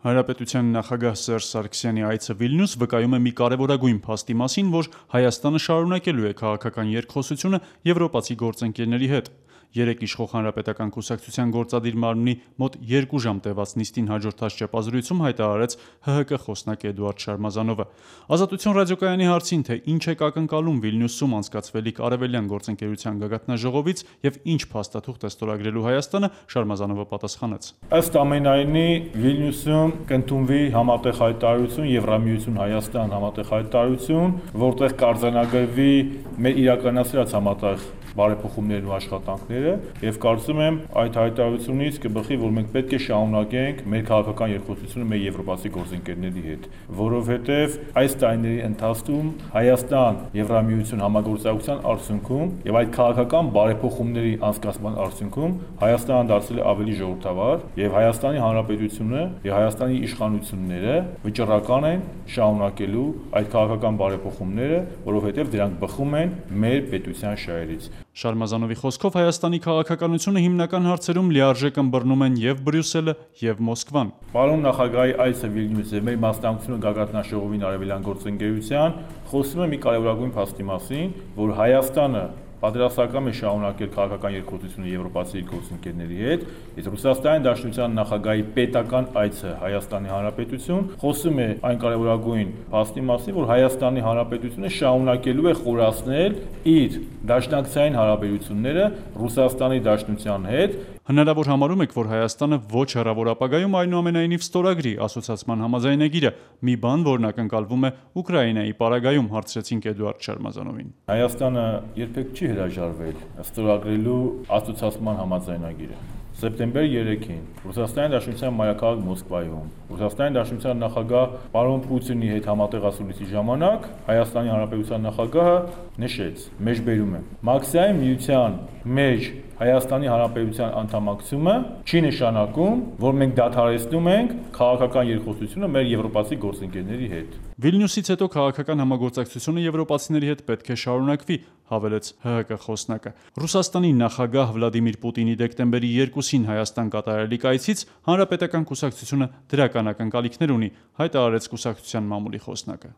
Հանրապետության նախագահ Սերժ Սարգսյանի այցը Վիլնյուս վկայում է մի կարևորագույն փաստի մասին, որ Հայաստանը շարունակելու է քաղաքական երկխոսությունը եվրոպացի գործընկերների հետ։ Երեկ իշխող Հանրապետական կուսակցության գործադիր մարմնի մոտ 2 ժամ տևած նիստին հաջորդած ճեպազրույցում հայտարարեց ՀՀԿ խոսնակ Էդուարդ Շարմազանովը։ Ազատություն ռադիոկայանի հարցին, թե ինչ է ակնկալում Վիլնյուսում անցկացվելիք արևելյան գործընկերության գագաթնաժողովից եւ ինչ փաստաթուղթ է ստորագրելու Հայաստանը, Շարմազանովը պատասխանեց. Ըստ ամենայնի Վիլնյուսում կընդունվի համատեղ հայտարարություն Եվրամիություն Հայաստան համատեղ հայտարարություն, որտեղ կարձանագրվի մեր իրականացրած համատեղ բարեփոխումներն ու աշխատանքները եւ կարծում եմ այդ հայտարարությունից կբխի, որ մենք պետք է շարունակենք մեր քաղաքական երկխոսությունը մեր եվրոպացի գործընկերների հետ, որովհետեւ այս տարիների ընթացքում Հայաստան Եվրամիություն համագործակցության արդյունքում եւ այդ քաղաքական բարեփոխումների անցկացման արդյունքում Հայաստանը դարձել է ավելի ժողովրդավար եւ Հայաստանի Հանրապետությունը եւ Հայաստանի իշխանությունները վճռական են շարունակելու այդ քաղաքական բարեփոխումները, որովհետեւ դրանք բխում են մեր պետության շահերից։ Շարմազանովի խոսքով Հայաստանի քաղաքականությունը հիմնական հարցերում լիարժեք ըմբռնում են եւ Բրյուսելը եւ Մոսկվան։ Պարոն նախագահի այցը Վիլնյուս եւ մեր մասնակցությունը գագաթնաժողովին արևելյան գործընկերության խոսում է մի կարևորագույն փաստի մասին, որ Հայաստանը պատրաստական է շարունակել քաղաքական երկխոսությունը եվրոպացի գործընկերների հետ, իսկ Ռուսաստանի Դաշնության նախագահի պետական այցը Հայաստանի Հանրապետություն խոսում է այն կարևորագույն փաստի մասին, որ Հայաստանի Հանրապետությունը շարունակելու է խորացնել իր դաշնակցային հարաբերությունները Ռուսաստանի Դաշնության հետ։ Հնարավոր համարում եք, որ Հայաստանը ոչ հեռավոր ապագայում այնուամենայնիվ ստորագրի ասոցիացման համաձայնագիրը, մի բան, որն ակնկալվում է Ուկրաինայի պարագայում, հարցրեցինք Էդուարդ Շարմազանովին։ Հայաստանը երբեք չի հրաժարվել ստորագրելու ասոցիացման համաձայնագիրը։ Սեպտեմբեր 3-ին Ռուսաստանի Դաշնության մայրաքաղաք Մոսկվայում Ռուսաստանի Դաշնության նախագահ պարոն Պուտինի հետ համատեղ ասուլիսի ժամանակ Հայաստանի Հանրապետության նախագահը նշեց. մեջբերում է Մաքսիայի միության մեջ Հայաստանի Հանրապետության անդամակցությունը չի նշանակում, որ մենք դադարեցնում ենք քաղաքական երկխոսությունը մեր եվրոպացի գործընկերների հետ։ Վիլնյուսից հետո քաղաքական համագործակցությունը եվրոպացիների հետ պետք է շարունակվի, հավելեց ՀՀԿ խոսնակը։ Ռուսաստանի նախագահ Վլադիմիր Պուտինի դեկտեմբերի 2-ին Հայաստան կատարելիք այցից Հանրապետական կուսակցությունը դրական ակնկալիքներ ունի, հայտարարեց կուսակցության մամուլի խոսնակը։